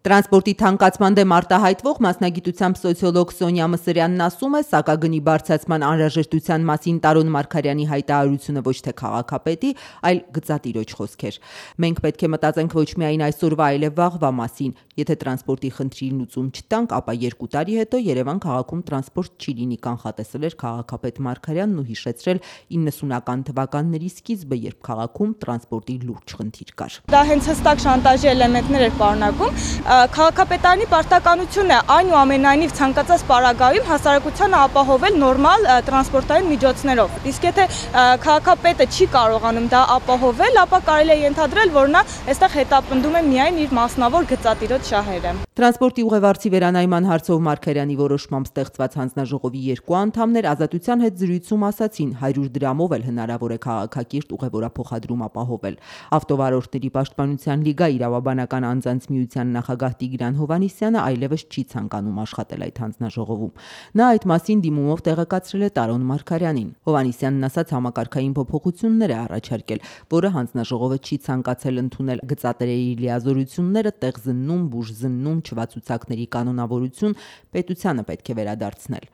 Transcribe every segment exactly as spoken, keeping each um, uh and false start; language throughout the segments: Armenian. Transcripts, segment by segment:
Տրանսպորտի թանկացման դեմ արտահայտվող մասնագիտությամբ սոցիոլոգ Սոնյա Մսրյանն ասում է, սակագնի բարձրացման անհրաժեշտության մասին Տարոն Մարգարյանի հայտարարությունը ոչ թե քաղաքապետի, այլ գծատիրոջ խոսքեր։ Մենք պետք է մտածենք ոչ միայն այսօրվա, այլև վաղվա մասին։ Եթե տրանսպորտի խնդրի լուծում չտանք, ապա երկու տարի հետո Երևան քաղաքում տրանսպորտ չի լինի, կանխատեսել էր քաղաքապետ Մարգարյանն ու հիշեցրել իննսունական թվականների սկիզբը, երբ քաղաքում տրանսպորտի լուրջ խնդիր կար։ Դա հենց հստակ շանտաժի էլեմենտներ էր պարունակում։ Քաղաքապետարանի պարտականությունն է այնուամենայնիվ ցանկացած պարագայում հասարակությանը ապահովել նորմալ տրանսպորտային միջոցներով։ Իսկ եթե քաղաքապետը չի կարողանում դա ապահովել, ապա կարելի է ենթադրել, որ նա այստեղ հետապնդում է միայն իր մասնավոր գծատիրոջ շահերը։ Տրանսպորտի ուղևորցի վերանայման հարցով Մարգարյանի որոշմամբ ստեղծված հանձնաժողովի երկու անդամներ Ազատության հետ զրույցում ասացին, հարյուր դրամով էլ հնարավոր է քաղաքակիրթ ուղևորափոխադրում ապահովել։ Ավտովարորդների պաշտպանության լիգա իրավաբանական անձանց միության նախագահ Տիգրան Հովհաննիսյանը այլևս չի ցանկանում աշխատել այդ հանձնաժողովում։ Նա այդ մասին դիմումով տեղեկացրել է Տարոն Մարգարյանին։ Հովհաննիսյանն ասաց, համակարգային փոփոխություններ է առաջարկել, որը հանձնաժողովը չի ցանկացել ընդունել գծատերերի լիազորությունները տեղ զննում, բուժ զննում, չվացուցակների կանոնավորություն պետությանը պետք է վերադարձնել։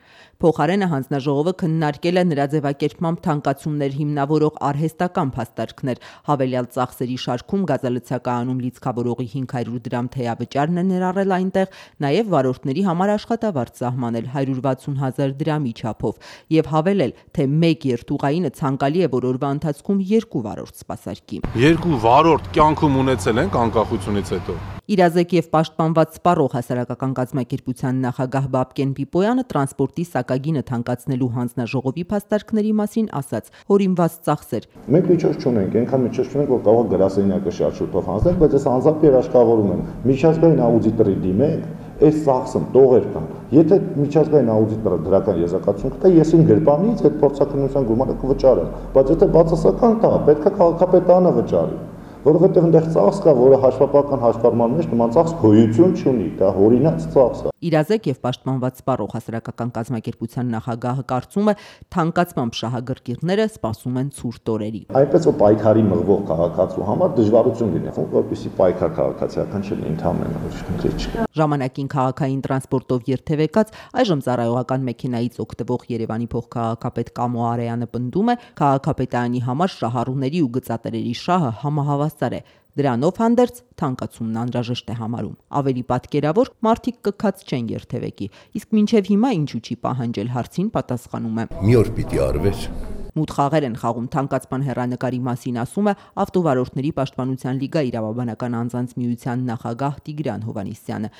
Փոխարենը հանձնաժողովը քննարկել է նրա ձևակերպմամբ թանկացումներ հիմնավորող արհեստական փաստարկներ, հավելյալ ծախսերի շարքում գազալցակայանում լիցքավորողի հինգ հարյուր դրամ թեյավճարն է ներառել այնտեղ, նաև վարորդների համար աշխատավարձ սահմանել հարյուր վաթսուն հազար դրամի չափով եւ հավելել, թե մեկ երթուղայինը ցանկալի է, որ օրվա ընթացքում երկու վարորդ սպասարկի։ Երկու վարորդ կյանքում ունեցել ենք անկախությունից հետո։ Իրազեկ եւ պաշտպանված սպառող հասարակական կազմակերպության նախագահ Բաբկեն Պիպոյանը տրանսպորտի սակագինը թանկացնելու հանձնաժողովի փաստարկների մասին ասաց. հորինված ծախսեր։ Մենք միջոց չունենք, այնքան միջոց չունենք, որ կարող գրասենյակը շարժուտով հանձնել, բայց այս անձամբ երաշխավորում են։ Միջազգային աուդիտորի դիմենք, այս ծախսն տողեր կան։ Եթե միջազգային աուդիտորը դրական եզրակացություն կտա, ես իմ գրպանից այդ փորձաքննության գումարը կվճարեմ, բայց եթե բացասական տա, պետք է քաղաքապետարանը վճարի։ Որովհետև այնտեղ ծախս կա, որը հաշվապահական հաշվառման մեջ նման ծախս գոյություն չունի, դա հորինած ծախս է։ Իրազեկ եւ պաշտպանված սպառող հասարակական կազմակերպության նախագահը կարծում է, թանկացմամբ շահագրգիռները սպասում են ցուրտ օրերի։ Այնպես որ պայքարի մղվող քաղաքացու համար դժվարություն լինի, որպեսզի պայքար քաղաքացիական չլինի, ընդհանրապես ուրիշ խնդիր չկա։ Ժամանակին քաղաքային տրանսպորտով երթևեկած, այժմ ծառայողական մեքենայից օգտվող Երևանի փոխքաղաքապետ Կամո Արեյանը պնդում է, քաղաքապետարանի համար շահառուների ու գծատերերի շահը համահավասար է։ Դրանով հանդերձ թանկացումն անհրաժեշտ է համարում։ Ավելի պատկերավոր, մարդիկ կքած չեն երթևեկի, իսկ մինչև հիմա ինչու չի պահանջել հարցին պատասխանում է. Մի օր պիտի արվեր։ Մութ խաղեր են խաղում թանկացման հեռանկարի մասին, ասում է Ավտովարորդների պաշտպանության լիգա իրավաբանական անձանց միության նախագահ Տիգրան Հովհաննիսյանը։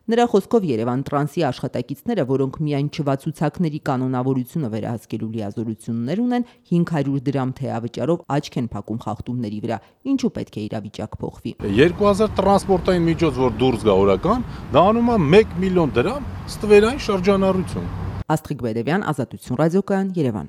Նրա խոսքով Երևան տրանսի աշխատակիցները, որոնք միայն չվացուցակների կանոնավորությունը վերահսկելու լիազորություններ ունեն, հինգ հարյուր դրամ թեյավճարով աչք են փակում խախտումների վրա։ Ինչու պետք է իրավիճակ փոխվի։ երկու հազար տրանսպորտային միջոց, որ դուրս գա օրական, դա անում է մեկ միլիոն դրամ ստվերային շրջանառություն։ Աստղիկ Բեդևյան, Ազատություն ռադիոկայան, Երևան։